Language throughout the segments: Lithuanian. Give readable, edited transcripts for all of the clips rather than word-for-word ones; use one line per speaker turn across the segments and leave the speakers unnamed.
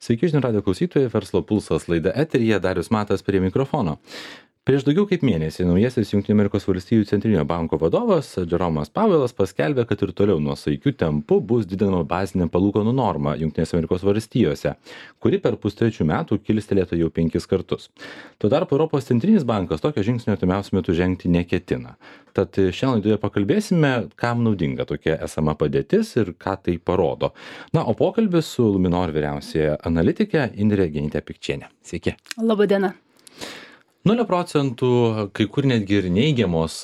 Sveiki žinių radijo klausytojai, Verslo pulsas laida eteryje, Darius Matas prie mikrofono. Prieš daugiau kaip mėnesį naujasis Junktinių Amerikos valstijų centrinio banko vadovas Jeromas Powellas paskelbė, kad ir toliau nuosaikiu tempu bus didinama bazinė palūkanų norma Junktinėse Amerikos valstijose, kuri per pustrečių metų kilstelėtų jau 5 kartus. Tuo tarpu Europos centrinis bankas tokio žingsnio artimiausiu metu žengti neketina. Tad šiandien laidoje pakalbėsime, kam naudinga tokia esama padėtis ir ką tai parodo. Na, o pokalbis su Luminor vyriausiaja analitike Indre Genyte-Pikčiene. Sveiki.
Labadiena.
0 procentų, kai kur netgi ir neigiamos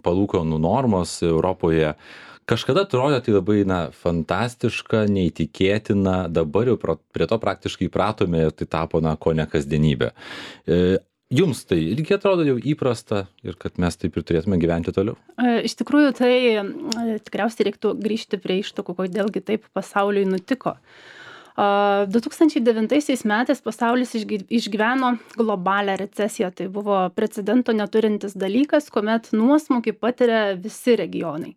palūkanų normos Europoje. Kažkada atrodė tai labai fantastiška, neįtikėtina, dabar jau prie to praktiškai įpratome ir tai tapo kone kasdienybė. Jums tai irgi atrodo jau įprasta ir kad mes taip ir turėtume gyventi toliau?
Iš tikrųjų, tai tikriausiai reiktų grįžti prie ištakų, kodėlgi taip pasauliui nutiko. 2009 metais pasaulis išgyveno globalią recesiją. Tai buvo precedento neturintis dalykas, kuomet nuosmukį patiria visi regionai.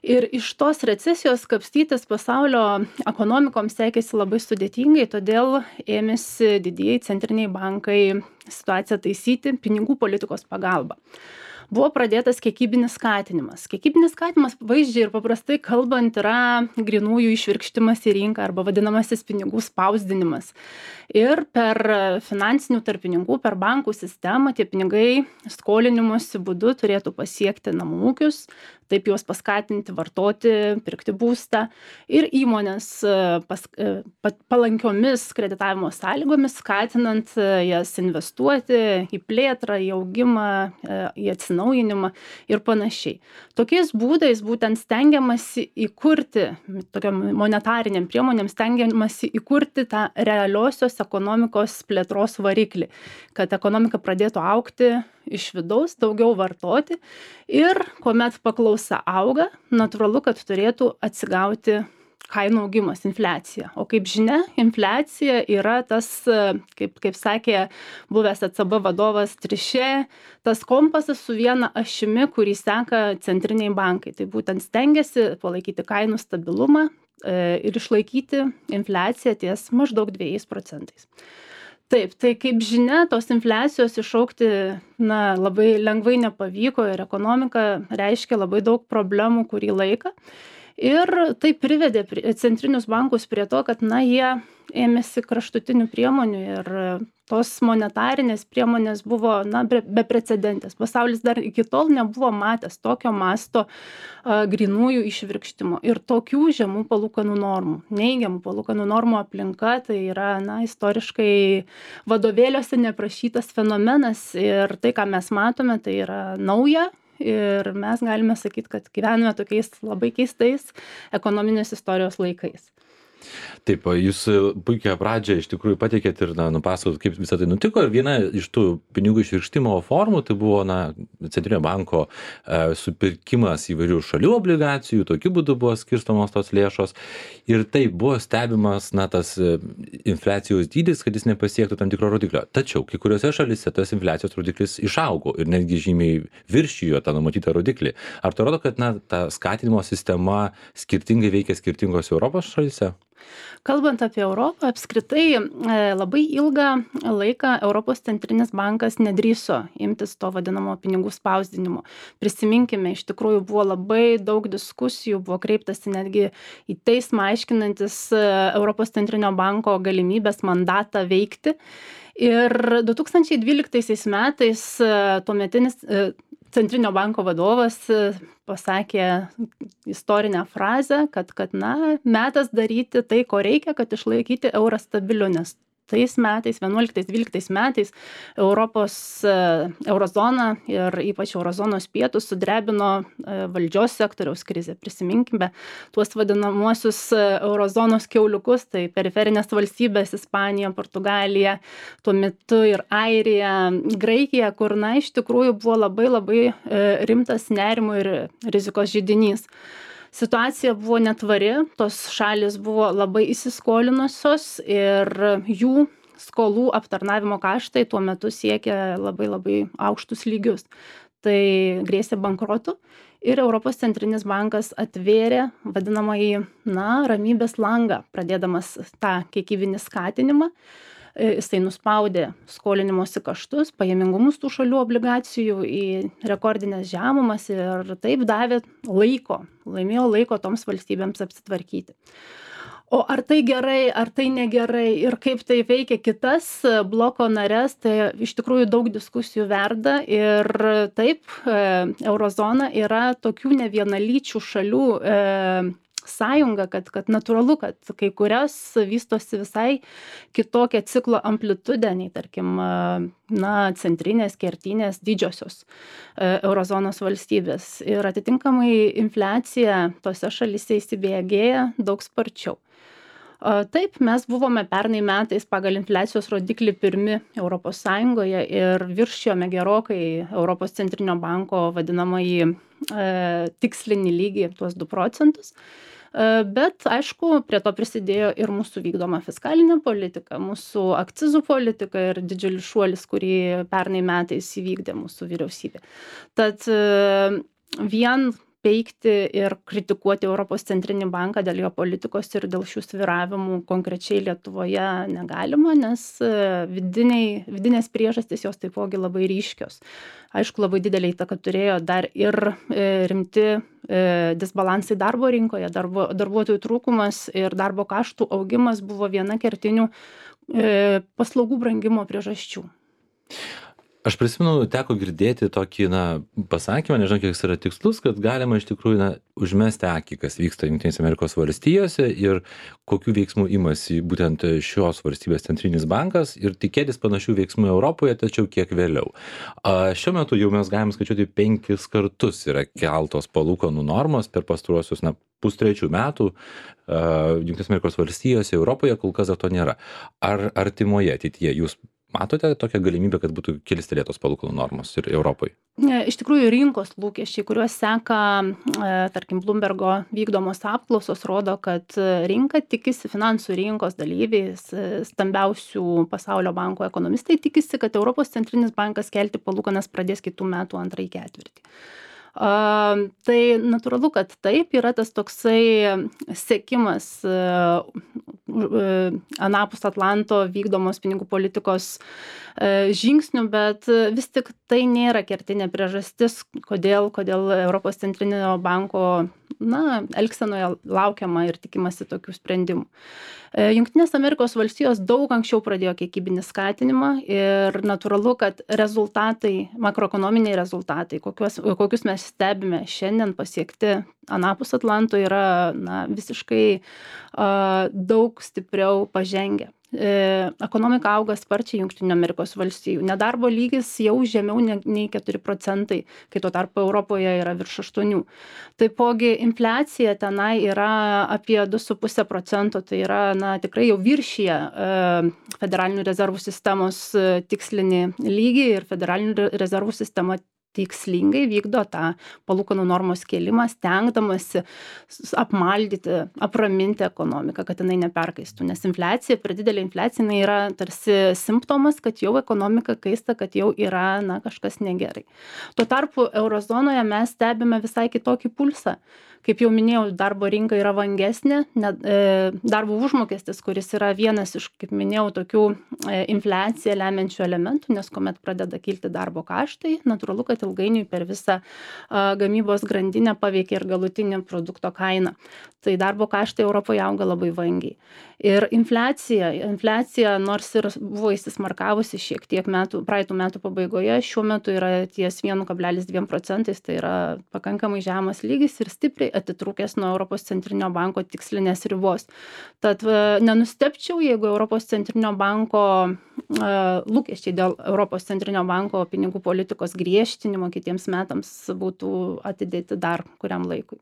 Ir iš tos recesijos kapstytis pasaulio ekonomikoms sekėsi labai sudėtingai, todėl ėmėsi didieji centriniai bankai situaciją taisyti pinigų politikos pagalba. Buvo pradėtas kiekybinis skatinimas. Kiekybinis skatinimas vaizdžiai ir paprastai kalbant yra grynųjų išvirkštimas į rinką arba vadinamasis pinigų spausdinimas. Ir per finansinių tarpininkų, per bankų sistemą tie pinigai skolinimosi būdu turėtų pasiekti namų ūkius, taip juos paskatinti vartoti, pirkti būstą ir įmonės palankiomis kreditavimo sąlygomis, skatinant jas investuoti į plėtrą, į augimą, į atsinaujinimą ir panašiai. Tokiais būdais būtent stengiamasi įkurti, tokiam monetariniam priemonėm stengiamasi įkurti tą realiosios ekonomikos plėtros variklį, kad ekonomika pradėtų augti iš vidaus, daugiau vartoti ir kuomet paklausa auga, natūralu, kad turėtų atsigauti kainų augimas, infliacija. O kaip žinia, infliacija yra tas, kaip sakė buvęs ECB vadovas Trišė, tas kompasas su viena ašimi, kurį seka centriniai bankai. Tai būtent stengiasi palaikyti kainų stabilumą ir išlaikyti infliaciją ties maždaug 2%. Taip, tai kaip žinia, tos infliacijos išaukti labai lengvai nepavyko ir ekonomika reiškia labai daug problemų kurį laiką. Ir tai privedė centrinius bankus prie to, kad jie ėmėsi kraštutinių priemonių ir tos monetarinės priemonės buvo beprecedentės. Pasaulis dar iki tol nebuvo matęs tokio masto grynųjų išvirkštimo ir tokių žemų palūkanų normų. Neigiamų palūkanų normų aplinka tai yra istoriškai vadovėliuose neprašytas fenomenas ir tai, ką mes matome, tai yra nauja. Ir mes galime sakyti, kad gyvename tokiais labai keistais ekonominės istorijos laikais.
Taip, jūs puikią pradžią iš tikrųjų pateikėt ir nupasakot, kaip visą tai nutiko. Ir viena iš tų pinigų išvirkštimo formų tai buvo centrinio banko supirkimas įvairių šalių obligacijų, tokiu būdu buvo skirstomos tos lėšos. Ir taip buvo stebimas tas infliacijos dydis, kad jis nepasiektų tam tikro rodiklio. Tačiau kai kuriuose šalyse tas infliacijos rodiklis išaugo ir netgi žymiai viršijo tą numatytą rodiklį. Ar tai rodo, kad ta skatinimo sistema skirtingai veikia skirtingose Europos šalyse?
Kalbant apie Europą, apskritai labai ilgą laiką Europos centrinis bankas nedrįso imtis to vadinamo pinigų spausdinimo. Prisiminkime, iš tikrųjų buvo labai daug diskusijų, buvo kreiptasi netgi į teismą aiškinantis Europos centrinio banko galimybės mandatą veikti. Ir 2012 metais tuometinis centrinio banko vadovas pasakė istorinę frazę, kad metas daryti tai, ko reikia, kad išlaikyti eurą stabiliu, nes tais metais, 11-12 metais eurozona ir ypač eurozonos pietus sudrebino valdžios sektoriaus krizė. Prisiminkime tuos vadinamuosius eurozonos kiauliukus, tai periferinės valstybės Ispanija, Portugalija, tuo metu ir Airija, Graikija, kur iš tikrųjų buvo labai rimtas nerimo ir rizikos židinys. Situacija buvo netvari, tos šalis buvo labai įsiskolinusios ir jų skolų aptarnavimo kaštai tuo metu siekė labai aukštus lygius. Tai grėsė bankrotu ir Europos centrinis bankas atvėrė vadinamąjį, ramybės langą, pradėdamas tą kiekybinį skatinimą. Jisai nuspaudė skolinimosi kaštus, pajamingumus tų šalių obligacijų į rekordinės žemumas ir taip davė laimėjo laiko toms valstybėms apsitvarkyti. O ar tai gerai, ar tai negerai ir kaip tai veikia kitas bloko nares, tai iš tikrųjų daug diskusijų verda ir taip, eurozona yra tokių nevienalyčių šalių sąjunga, kad natūralu, kad kai kurias vystosi visai kitokią ciklo amplitudę nei, tarkim, centrinės, kertinės, didžiosios eurozonos valstybės. Ir atitinkamai infliacija tose šalyse įsibėgėja daug sparčiau. Taip, mes buvome pernai metais pagal infliacijos rodiklį pirmi Europos Sąjungoje ir viršijome gerokai Europos centrinio banko vadinamąjį tikslinį lygį, tuos 2 procentus. Bet, aišku, prie to prisidėjo ir mūsų vykdoma fiskalinė politika, mūsų akcizų politika ir didžiulis šuolis, kurį pernai metais įvykdė mūsų vyriausybė. Tad vien peikti ir kritikuoti Europos centrinį banką dėl jo politikos ir dėl šių svyravimų konkrečiai Lietuvoje negalima, nes vidinės priežastys jos taipogi labai ryškios. Aišku, labai didelį įtaką turėjo dar ir rimti disbalansai darbo rinkoje, darbuotojų trūkumas ir darbo kaštų augimas buvo viena kertinių paslaugų brangimo priežasčių.
Aš prisimenu, teko girdėti tokį pasakymą, nežinau, kiek jis yra tikslus, kad galima iš tikrųjų užmesti akį, kas vyksta Jungtinėse Amerikos valstijose ir kokių veiksmų imasi būtent šios valstybės centrinis bankas ir tikėtis panašių veiksmų Europoje, tačiau kiek vėliau. Šiuo metu jau mes galim skaičiuoti 5 kartus yra keltos palūkanų normos per pastaruosius 2-3 metų Jungtinėse Amerikos valstijose, Europoje kol kas dar to nėra. Ar artimoje ateityje jūs matote tokią galimybę, kad būtų kilstelėtos palūkanų normos ir Europoje?
Iš tikrųjų, rinkos lūkesčiai, kuriuos seka, tarkim, Bloombergo vykdomos apklausos, rodo, kad rinka tikisi, finansų rinkos dalyviai, stambiausių pasaulio bankų ekonomistai tikisi, kad Europos centrinis bankas kelti palūkanas pradės kitų metų antrąjį ketvirtį. Tai natūralu, kad taip yra tas toksai sekimas anapus Atlanto vykdomos pinigų politikos žingsnių, bet vis tik tai nėra kertinė priežastis, kodėl Europos centrinio banko elgsenoje laukiama ir tikimasi tokių sprendimų. Jungtinės Amerikos valstijos daug anksčiau pradėjo kiekybinį skatinimą ir natūralu, kad makroekonominiai rezultatai, kokius mes stebime šiandien pasiekti anapus Atlanto, yra visiškai daug stipriau pažengę. Ekonomika auga sparčiai Jungtinių Amerikos valstijų. Nedarbo lygis jau žemiau nei 4 procentai, kai tuo tarpu Europoje yra virš 8. Taipogi infliacija tenai yra apie 2,5 procento, tai yra tikrai jau viršyje federalinių rezervų sistemos tikslinį lygį ir federalinių rezervų sistema tikslingai vykdo tą palūkanų normos kėlimą, stengdamasi apmaldyti, apraminti ekonomiką, kad jinai neperkaistų. Nes infliacija, per didelė infliacija, jinai yra tarsi simptomas, kad jau ekonomika kaista, kad jau yra kažkas negerai. Tuo tarpu eurozonoje mes stebime visai kitokį pulsą. Kaip jau minėjau, darbo rinka yra vangesnė, darbo užmokestis, kuris yra vienas iš, kaip minėjau, tokių infliaciją lemiančių elementų, nes kuomet pradeda kilti darbo kaštai, natūralu, kad ilgainiui per visą gamybos grandinę paveikia ir galutinį produkto kainą. Tai darbo kaštai Europoje auga labai vangiai. Ir infliacija nors ir buvo įsismarkavusi šiek tiek praeitų metų pabaigoje, šiuo metu yra ties 1,2 procentais, tai yra pakankamai žemas lygis ir stipriai atitrūkęs nuo Europos centrinio banko tikslinės ribos. Tad nenustebčiau, jeigu Europos centrinio banko lūkesčiai dėl Europos centrinio banko pinigų politikos griežtinimo kitiems metams būtų atidėti dar kuriam laikui.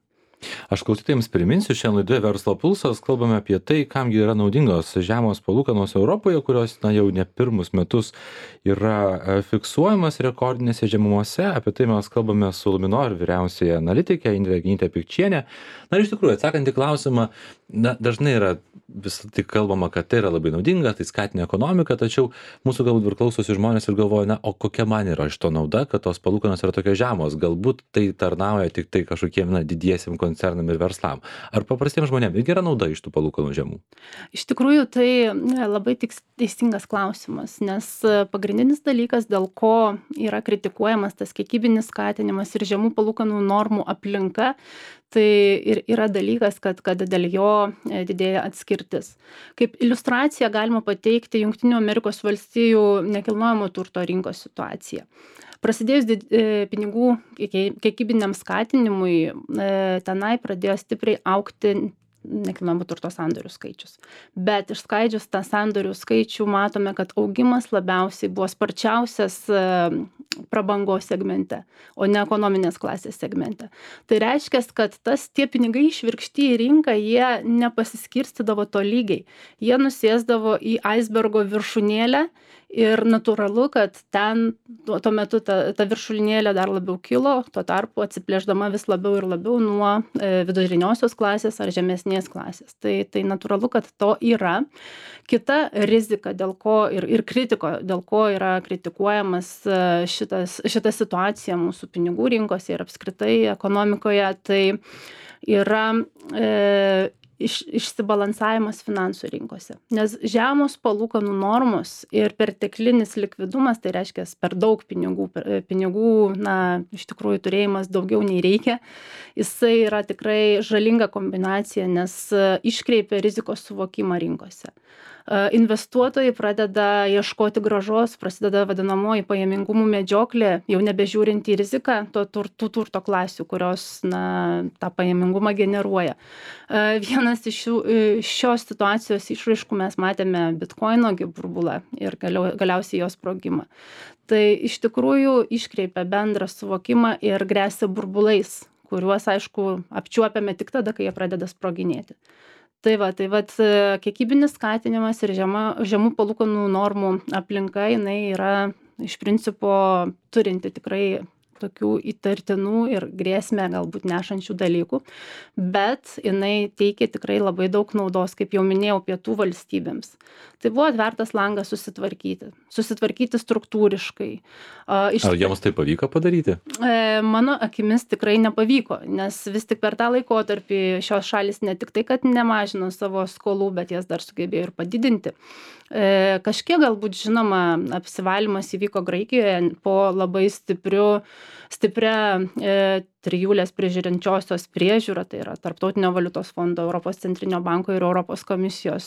Aš klausytojams priminsiu, šiandien laidoje Verslo pulsas kalbame apie tai, kamgi yra naudingos žemos palūkanos Europoje, kurios jau ne pirmus metus yra fiksuojamas rekordinėse žemumose. Apie tai mes kalbame su Luminor vyriausiaja analitikė Indrė Genytė-Pikčienė. Na ir iš tikrųjų, atsakant į klausimą, dažnai yra vis tik kalbama, kad tai yra labai naudinga, tai skatina ekonomiką, tačiau mūsų galbūt ir klausosi žmonės ir galvoja, o kokia man yra iš to nauda, kad tos palūkanos yra tokios žemos, galbūt tai tarnauja tik tai kažkokiem didiesiem koncernam ir verslam. Ar paprastiems žmonėms irgi yra nauda iš tų palūkanų žemų?
Iš tikrųjų, tai labai teisingas klausimas, nes pagrindinis dalykas, dėl ko yra kritikuojamas tas kiekybinis skatinimas ir žemų palūkanų normų aplinka, tai ir yra dalykas, kad dėl jo didėja atskirtis. Kaip iliustraciją galima pateikti Jungtinių Amerikos valstijų nekilnojamo turto rinkos situaciją. Prasidėjus pinigų kiekybiniam skatinimui, tenai pradėjo stipriai augti nekilnojamo turto sandorių skaičius. Bet išskaidžius tą sandorių skaičių matome, kad augimas labiausiai buvo sparčiausias prabangos segmente, o ne ekonominės klasės segmente. Tai reiškia, kad tie pinigai išvirkšti į rinką, jie nepasiskirstydavo tolygiai. Jie nusėsdavo į aisbergo viršūnėlę ir natūralu, kad ten tuo metu ta viršūnėlė dar labiau kilo, tuo tarpu atsiplėšdama vis labiau ir labiau nuo viduriniosios klasės ar žemesnės klasės. Tai natūralu, kad to yra. Kita rizika, dėl ko ir kritiko, dėl ko yra kritikuojamas šita situacija mūsų pinigų rinkose ir apskritai ekonomikoje, tai yra išsibalansavimas finansų rinkose. Nes žemos palūkanų normos ir perteklinis likvidumas, tai reiškia per daug pinigų, iš tikrųjų turėjimas daugiau nei reikia, jisai yra tikrai žalinga kombinacija, nes iškreipia rizikos suvokimą rinkose. Investuotojai pradeda ieškoti grąžos, prasideda vadinamoji pajamingumų medžioklė, jau nebežiūrint į riziką tų turto klasių, kurios tą pajamingumą generuoja. Vienas iš šios situacijos išraiškų mes matėme Bitcoino burbulą ir galiausiai jos sprogimą. Tai iš tikrųjų iškreipia bendrą suvokimą ir gresia burbulais, kuriuos, aišku, apčiuopiame tik tada, kai jie pradeda sproginėti. Tai kiekybinis skatinimas ir žemų palūkanų normų aplinka, jinai yra iš principo turinti tikrai tokių įtartinų ir grėsmę galbūt nešančių dalykų, bet jinai teikia tikrai labai daug naudos, kaip jau minėjau, pietų valstybėms. Tai buvo atvertas langas susitvarkyti struktūriškai.
Ar jiems tai pavyko padaryti?
Mano akimis tikrai nepavyko, nes vis tik per tą laikotarpį šios šalis ne tik tai, kad nemažino savo skolų, bet jas dar sugebėjo ir padidinti. Kažkiek galbūt žinoma apsivalymas įvyko Graikijoje po labai stipria trijulės prižiūrinčiosios priežiūra, tai yra Tarptautinio valiutos fondo, Europos centrinio banko ir Europos komisijos,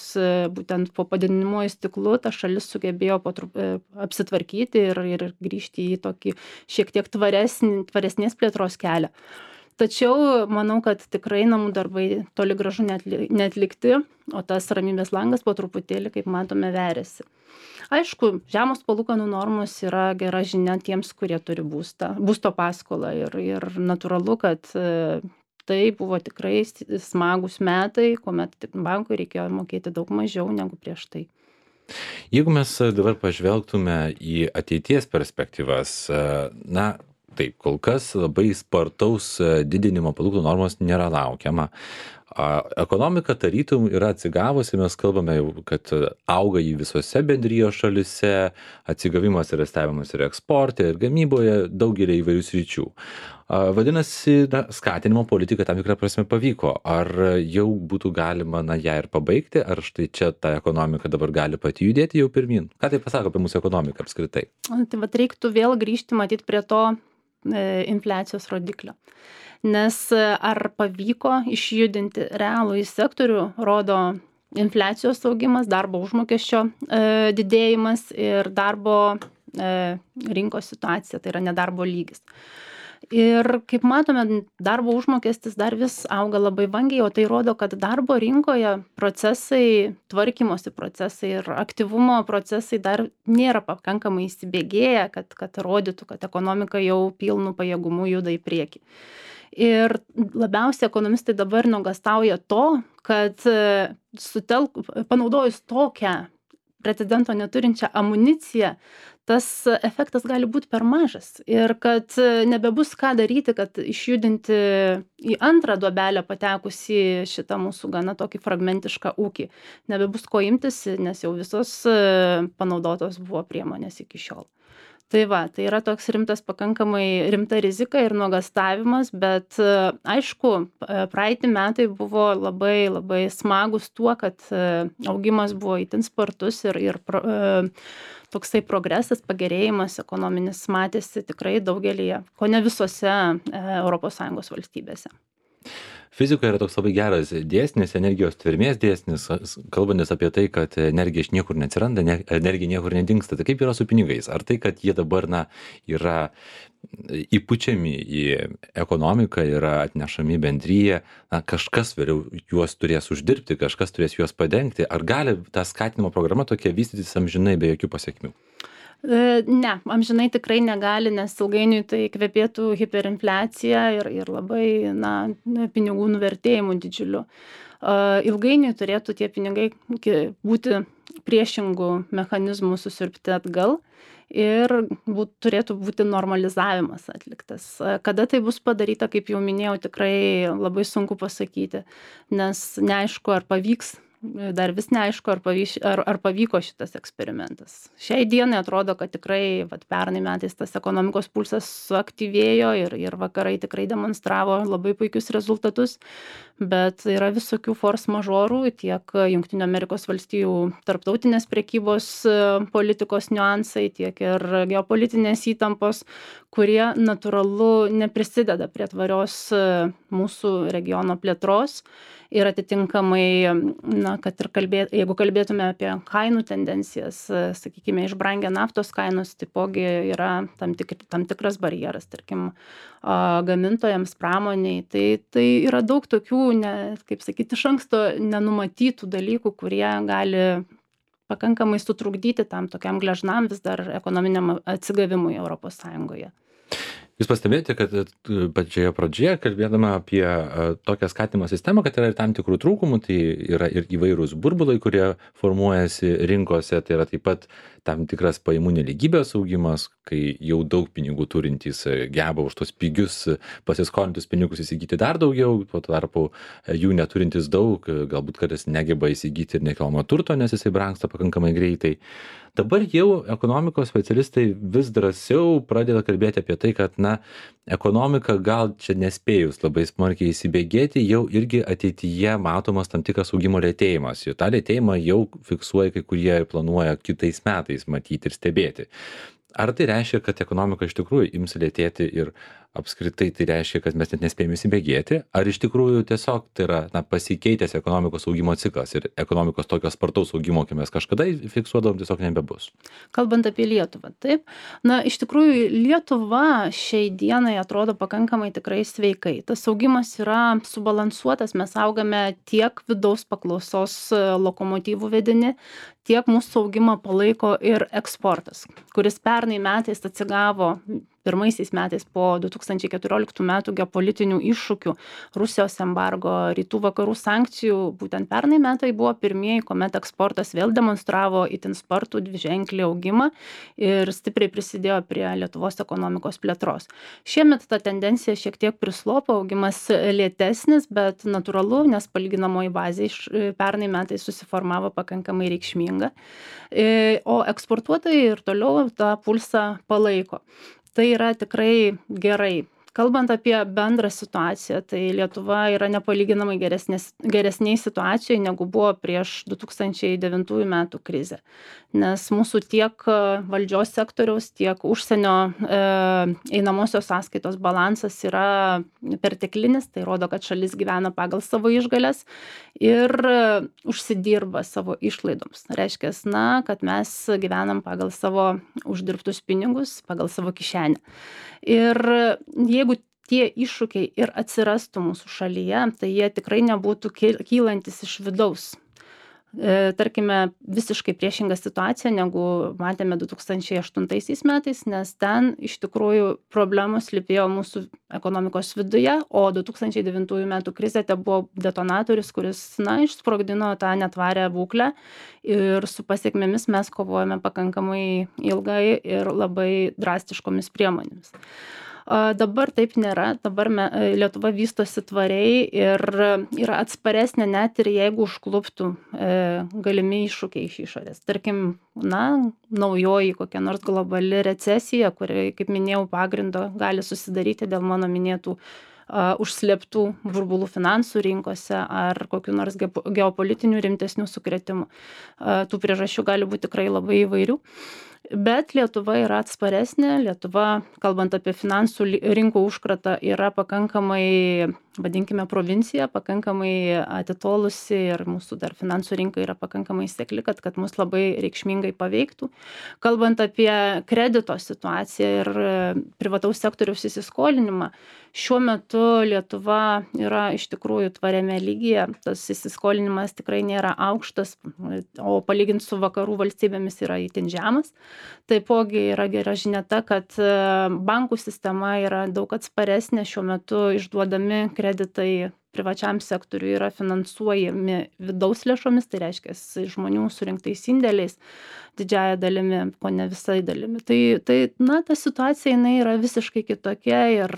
būtent po padidinamuoju stiklu ta šalis sugebėjo apsitvarkyti ir grįžti į tokį šiek tiek tvaresnės plėtros kelią. Tačiau manau, kad tikrai namų darbai toli gražu neatlikti, o tas ramybės langas po truputėlį, kaip matome, veriasi. Aišku, žemos palūkanų normos yra gera žinia tiems, kurie turi būsto paskolą ir natūralu, kad tai buvo tikrai smagus metai, kuomet bankui reikėjo mokėti daug mažiau negu prieš tai.
Jeigu mes dabar pažvelgtume į ateities perspektyvas, taip, kol kas labai spartaus didinimo palūkanų normos nėra laukiama. Ekonomika tarytum yra atsigavusi, mes kalbame jau, kad auga į visose bendrijos šalise, atsigavimas yra stebimas ir eksporte, ir gamyboje, daugelį įvairių sričių. Vadinasi, skatinimo politika tam tikrą prasme pavyko. Ar jau būtų galima ją ir pabaigti, ar štai čia ta ekonomika dabar gali pati judėti jau pirmin? Ką tai pasako apie mūsų ekonomiką apskritai?
Tai reiktų vėl grįžti, matyti prie to infliacijos rodiklio. Nes ar pavyko išjudinti realųjį sektorių, rodo infliacijos augimas, darbo užmokesčio didėjimas ir darbo rinkos situacija, tai yra nedarbo lygis. Ir kaip matome, darbo užmokestis dar vis auga labai vangiai, o tai rodo, kad darbo rinkoje procesai, tvarkymosi procesai ir aktyvumo procesai dar nėra pakankamai įsibėgėję, kad rodytų, kad ekonomika jau pilnu pajėgumu juda į priekį. Ir labiausiai ekonomistai dabar nuogąstauja to, kad panaudojus tokią precedento neturinčią amuniciją, tas efektas gali būti per mažas ir kad nebebus ką daryti, kad išjudinti į antrą duobelę patekusį šitą mūsų gana tokį fragmentišką ūkį. Nebebus ko imtis, nes jau visos panaudotos buvo priemonės iki šiol. Tai va, tai yra toks pakankamai rimta rizika ir nuogąstavimas, bet aišku, praeiti metai buvo labai, labai smagus tuo, kad augimas buvo itin spartus ir toksai progresas, pagerėjimas ekonominis matėsi tikrai daugelyje, ko ne visose ES valstybėse.
Fizikoje yra toks labai geras dėsnis, energijos tvermės dėsnis, kalbantis apie tai, kad energija iš niekur neatsiranda, energija niekur nedingsta. Tai kaip yra su pinigais? Ar tai, kad jie dabar yra įpučiami į ekonomiką, yra atnešami bendryje, kažkas vėliau juos turės uždirbti, kažkas turės juos padengti? Ar gali ta skatinimo programa tokia vystytis amžinai be jokių pasiekmių?
Ne, amžinai tikrai negali, nes ilgainiui tai kvepėtų hiperinfliacija ir labai pinigų nuvertėjimu didžiuliu. Ilgainiui turėtų tie pinigai būti priešingų mechanizmų susiurbti atgal ir turėtų būti normalizavimas atliktas. Kada tai bus padaryta, kaip jau minėjau, tikrai labai sunku pasakyti, nes neaišku, ar pavyks. Dar vis neaišku, ar pavyko šitas eksperimentas. Šiai dienai atrodo, kad tikrai pernai metais tas ekonomikos pulsas suaktyvėjo ir vakarai tikrai demonstravo labai puikius rezultatus, bet yra visokių force mažorų, tiek Jungtinių Amerikos valstijų tarptautinės prekybos politikos niuansai, tiek ir geopolitinės įtampos, kurie natūralu neprisideda prie tvarios mūsų regiono plėtros. Ir atitinkamai, kad ir jeigu kalbėtume apie kainų tendencijas, sakykime, išbrangę naftos kainos, taipogi yra tam tikras barjeras, tarkim, gamintojams, pramoniai. Tai yra daug tokių, kaip sakyti, iš anksto nenumatytų dalykų, kurie gali pakankamai sutrukdyti tam tokiam gležnam vis dar ekonominiam atsigavimui Europos Sąjungoje.
Jūs pastebėjote, kad pačioje pradžioje, kalbėdama apie tokią skatinimo sistemą, kad yra ir tam tikrų trūkumų, tai yra ir įvairūs burbulai, kurie formuojasi rinkose, tai yra taip pat tam tikras pajamų nelygybės augimas, kai jau daug pinigų turintys geba už tos pigius pasiskolintus pinigus įsigyti dar daugiau, tuo tarpu jų neturintys daug, galbūt kartais negeba įsigyti ir nekilnojamo turto, nes jisai brangsta pakankamai greitai. Dabar jau ekonomikos specialistai vis drąsiau pradeda kalbėti apie tai, kad ekonomika gal čia nespėjus labai smarkiai įsibėgėti, jau irgi ateityje matomas tam tikras augimo lėtėjimas. Ir tą lėtėjimą jau fiksuoja kai kurie ir planuoja kitais metais matyti ir stebėti. Ar tai reiškia, kad ekonomika iš tikrųjų ims lėtėti ir apskritai tai reiškia, kad mes net nespėjame įsibėgėti? Ar iš tikrųjų tiesiog tai yra pasikeitęs ekonomikos augimo ciklas ir ekonomikos tokio spartaus augimo, kai mes kažkada fiksuodavom, tiesiog nebebus?
Kalbant apie Lietuvą, taip. Iš tikrųjų, Lietuva šiai dienai atrodo pakankamai tikrai sveikai. Tas augimas yra subalansuotas, mes augame tiek vidaus paklausos lokomotyvų vedini, tiek mūsų augimą palaiko ir eksportas, kuris pernai metais atsigavo pirmaisiais metais po 2014 metų geopolitinių iššūkių, Rusijos embargo, rytų vakarų sankcijų. Būtent pernai metai buvo pirmieji, kuomet eksportas vėl demonstravo itin spartų dviženklį augimą ir stipriai prisidėjo prie Lietuvos ekonomikos plėtros. Šiemet ta tendencija šiek tiek prislopo, augimas lėtesnis, bet natūralu, nes palyginamoji bazė pernai metais susiformavo pakankamai reikšminga, o eksportuotojai ir toliau tą pulsą palaiko. Tai yra tikrai gerai. Kalbant apie bendrą situaciją, tai Lietuva yra nepalyginamai geresnėj situacijoje, negu buvo prieš 2009 metų krizę. Nes mūsų tiek valdžios sektoriaus, tiek užsienio einamosios sąskaitos balansas yra perteklinis, tai rodo, kad šalis gyvena pagal savo išgales ir užsidirba savo išlaidoms. Reiškia, kad mes gyvenam pagal savo uždirbtus pinigus, pagal savo kišenę. Ir jeigu tie iššūkiai ir atsirastų mūsų šalyje, tai jie tikrai nebūtų kylantis iš vidaus. Tarkime, visiškai priešinga situacija, negu matėme 2008 metais, nes ten iš tikrųjų problemos slypėjo mūsų ekonomikos viduje, o 2009 metų krizė tai buvo detonatorius, kuris, išsprogdino tą netvarę būklę ir su pasiekmėmis mes kovojame pakankamai ilgai ir labai drastiškomis priemonėmis. Dabar taip nėra, dabar Lietuva vystosi tvariai ir yra atsparesnė net ir jeigu užkluptų galimi iššūkiai iš išorės. Tarkim, naujoji kokia nors globali recesija, kuri, kaip minėjau, pagrindo gali susidaryti dėl mano minėtų užslėptų burbulų finansų rinkose ar kokių nors geopolitinių rimtesnių sukrėtimų. Tų priežasčių gali būti tikrai labai įvairių. Bet Lietuva yra atsparesnė, Lietuva, kalbant apie finansų rinkų užkratą, yra pakankamai, vadinkime, provincija, pakankamai atitolusi ir mūsų dar finansų rinka yra pakankamai sekli, kad mus labai reikšmingai paveiktų. Kalbant apie kredito situaciją ir privataus sektoriaus įsiskolinimą, šiuo metu Lietuva yra iš tikrųjų tvariame lygyje, tas įsiskolinimas tikrai nėra aukštas, o palyginti su vakarų valstybėmis yra itin žemas. Taipogi yra gera žinia ta, kad bankų sistema yra daug atsparesnė, šiuo metu išduodami kreditai privačiam sektoriui yra finansuojami vidaus lėšomis, tai reiškia žmonių surinktais indėliais didžiąją dalimi, o ne visai dalimi. Ta situacija jinai yra visiškai kitokia ir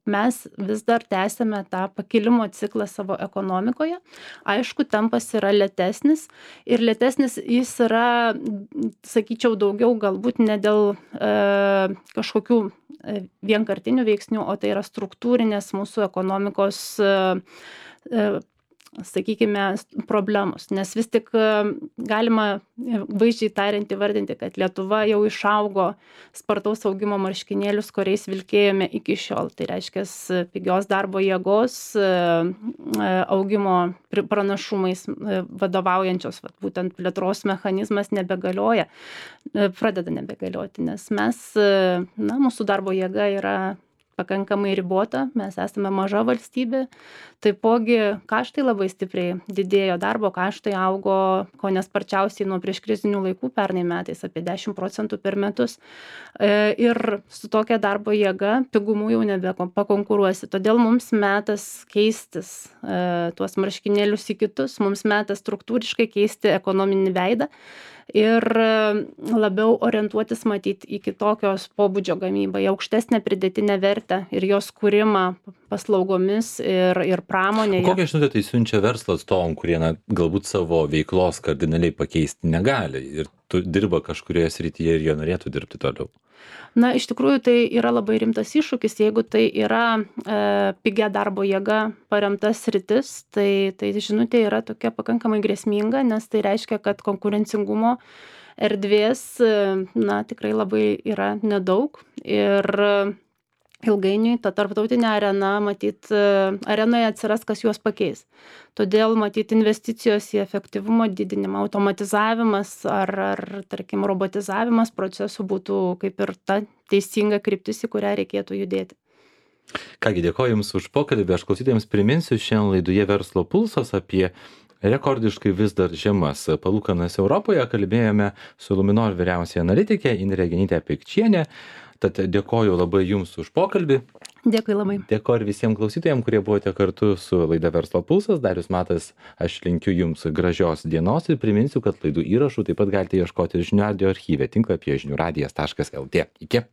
mes vis dar tęsiame tą pakilimo ciklą savo ekonomikoje. Aišku, tempas yra lėtesnis ir lėtesnis jis yra, sakyčiau, daugiau galbūt ne dėl kažkokių vienkartinių veiksnių, o tai yra struktūrinės mūsų ekonomikos, sakykime, problemos. Nes vis tik galima vaizdžiai tariant įvardinti, kad Lietuva jau išaugo spartaus augimo marškinėlius, kuriais vilkėjome iki šiol. Tai reiškia pigios darbo jėgos augimo pranašumais vadovaujančios, būtent plėtros mechanizmas nebegalioja, pradeda nebegalioti, nes mūsų darbo jėga yra pakankamai ribota, mes esame maža valstybė, taipogi kaštai labai stipriai didėjo, darbo kaštai augo kone sparčiausiai nuo prieškrizinių laikų pernai metais, apie 10% per metus. Ir su tokia darbo jėga pigumu jau nebepakonkuruosi. Todėl mums metas keistis tuos marškinėlius į kitus, mums metas struktūriškai keisti ekonominį veidą ir labiau orientuotis matyti į kitokios pobūdžio gamybą, į aukštesnę pridėtinę vertę ir jos kūrimą paslaugomis ir pramonėje.
Kokią žinutę tai siunčia verslo atstovam, kurie galbūt savo veiklos kardinaliai pakeisti negali ir dirba kažkurioje srityje ir jie norėtų dirbti toliau?
Iš tikrųjų, tai yra labai rimtas iššūkis, jeigu tai yra pigia darbo jėga paremta sritis, tai žinutė yra tokia pakankamai grėsminga, nes tai reiškia, kad konkurencingumo erdvės tikrai labai yra nedaug ir ilgainiui ta tarptautinė arena, arenoje atsiras, kas juos pakeis. Todėl, investicijos į efektyvumo didinimą, automatizavimas ar tarkim, robotizavimas procesų būtų kaip ir ta teisinga kryptis, į kurią reikėtų judėti.
Kągi, dėkoju Jums už pokalbį. Aš klausytojams priminsiu, šiandien laidoje Verslo pulsas apie rekordiškai vis dar žemas palūkanas Europoje. Kalbėjome su Luminor vyriausiaja analitikė Indrė Genytė-Pikčienė. Tad dėkoju labai Jums už pokalbį.
Dėkui labai.
Dėkoju ir visiems klausytojams, kurie buvote kartu su laida Verslo pulsas. Darius Matas, aš linkiu Jums gražios dienos ir priminsiu, kad laidų įrašų taip pat galite ieškoti žinių radijo archyve tinklapyje žiniųradijas.lt. Iki.